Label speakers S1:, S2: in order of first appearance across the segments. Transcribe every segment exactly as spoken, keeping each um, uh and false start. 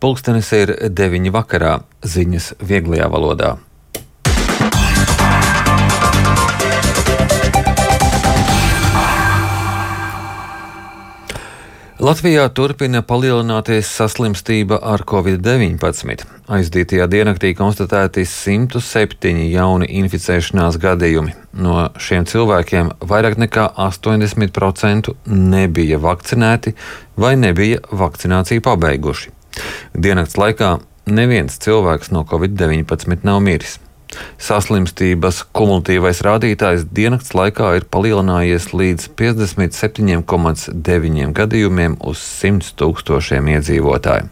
S1: Pulkstenis ir deviņi vakarā, ziņas vieglajā valodā. Latvijā turpina palielināties saslimstība ar covid deviņpadsmit. Aizdītajā diennaktī konstatēti simt septiņi jauni inficēšanās gadījumi. No šiem cilvēkiem vairāk nekā astoņdesmit procenti nebija vakcinēti vai nebija vakcināciju pabeiguši. Diennakts laikā neviens cilvēks no covid deviņpadsmit nav miris. Saslimstības kumulatīvais rādītājs diennakts laikā ir palielinājies līdz piecdesmit septiņi komats deviņi gadījumiem uz simt tūkstošiem iedzīvotāju.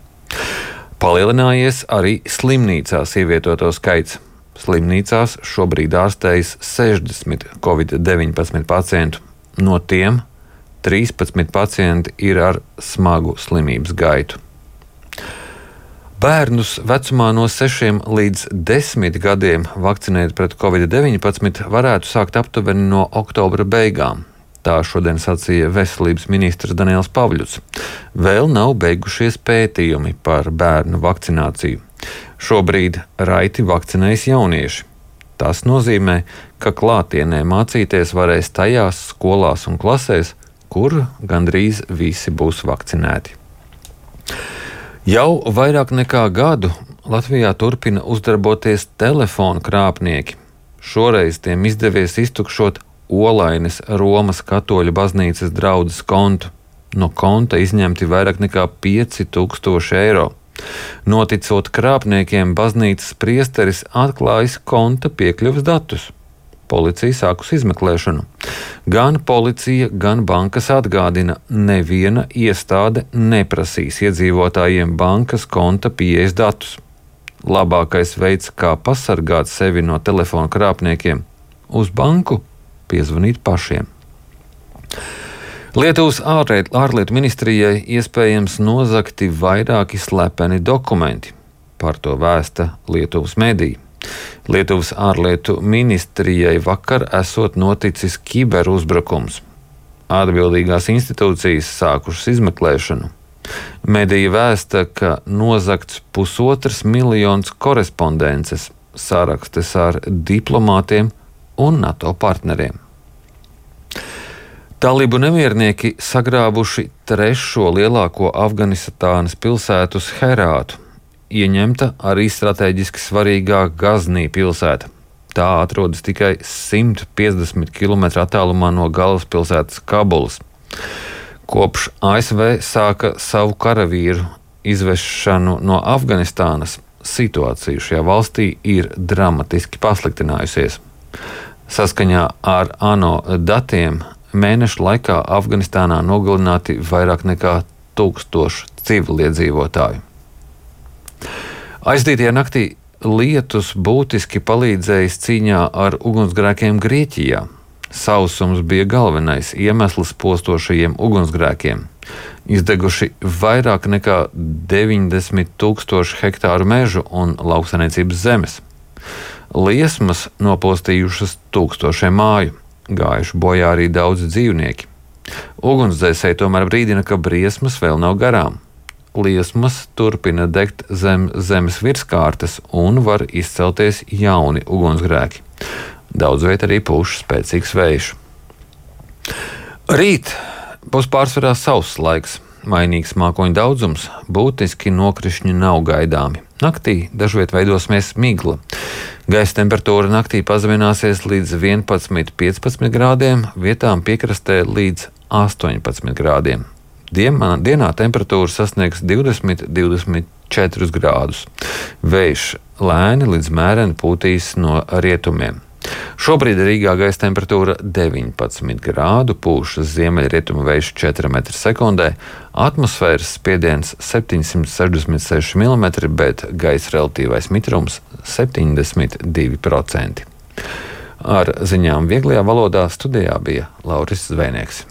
S1: Palielinājies arī slimnīcās ievietoto skaits. Slimnīcās šobrīd ārstējas sešdesmit covid deviņpadsmit pacientu. No tiem trīspadsmit pacienti ir ar smagu slimības gaitu. Bērnus vecumā no sešiem līdz desmit gadiem vakcinēt pret covid deviņpadsmit varētu sākt aptuveni no oktobra beigām. Tā šodien sacīja veselības ministrs Daniels Pavļuts. Vēl nav beigušies pētījumi par bērnu vakcināciju. Šobrīd raiti vakcinējas jaunieši. Tas nozīmē, ka klātienē mācīties varēs tajās skolās un klasēs, kur gandrīz visi būs vakcinēti. Jau vairāk nekā gadu Latvijā turpina uzdarboties telefonu krāpnieki. Šoreiz tiem izdevies iztukšot Olaines Romas katoļu baznīcas draudzes kontu. No konta izņemti vairāk nekā pieci tūkstoši eiro. Noticot krāpniekiem, baznīcas priesteris atklājis konta piekļuves datus. Policija sākus izmeklēšanu. Gan policija, gan bankas atgādina, neviena iestāde neprasīs iedzīvotājiem bankas konta pieejas datus. Labākais veids, kā pasargāt sevi no telefona krāpniekiem, uz banku piezvanīt pašiem. Lietuvas ārlietu ministrijai iespējams nozagti vairāki slepeni dokumenti. Par to vēsta Lietuvas mediji. Lietuvas ārlietu ministrijai vakar esot noticis kiberuzbrukums. Atbildīgās institūcijas sākušas izmeklēšanu. Medija vēsta, ka nozagts pusotrs miljons korespondences, sarakstes ar diplomātiem un NATO partneriem. Talibu nemiernieki sagrābuši trešo lielāko Afganistānas pilsētu Herātu. Ieņemta arī strateģiski svarīgā Gaznī pilsēta. Tā atrodas tikai simt piecdesmit kilometru attālumā no galvaspilsētas Kabulas. Kopš A S V sāka savu karavīru izvešanu no Afganistānas, situācija šajā valstī ir dramatiski pasliktinājusies. Saskaņā ar ANO datiem mēnešu laikā Afganistānā nogalināti vairāk nekā tūkstoši civiliedzīvotāju. Aizdītajā naktī lietus būtiski palīdzējis cīņā ar ugunsgrēkiem Grieķijā. Sausums bija galvenais iemesls postošajiem ugunsgrēkiem. Izdeguši vairāk nekā deviņdesmit tūkstoši hektāru mežu un lauksaimniecības zemes. Liesmas nopostījušas tūkstošiem māju, gājuši bojā arī daudzi dzīvnieki. Ugunsdzēsēji tomēr brīdina, ka briesmas vēl nav garām. Liesmas turpina degt zem zemes virskārtas un var izcelties jauni ugunsgrēki. Daudz viet arī pūš spēcīgs vējš. Rīt būs pārsvarā sauss laiks, mainīgs mākoņu daudzums, būtiski nokrišņi nav gaidāmi. Naktī dažviet veidosies migla. Gaisa temperatūra naktī pazemināsies līdz vienpadsmit līdz piecpadsmit grādiem, vietām piekrastē līdz astoņpadsmit grādiem. Dienā, dienā temperatūra sasniegs divdesmit līdz divdesmit četrus grādus. Vējš lēni līdz mēreni pūtīs no rietumiem. Šobrīd Rīgā gaisa temperatūra deviņpadsmit grādu, pūš ziemeļrietumu vējš četri metri sekundē, atmosfēras spiediens septiņsimt sešdesmit seši milimetri, bet gaisa relatīvais mitrums septiņdesmit divi procenti. Ar ziņām vieglajā valodā studijā bija Lauris Zvēnieks.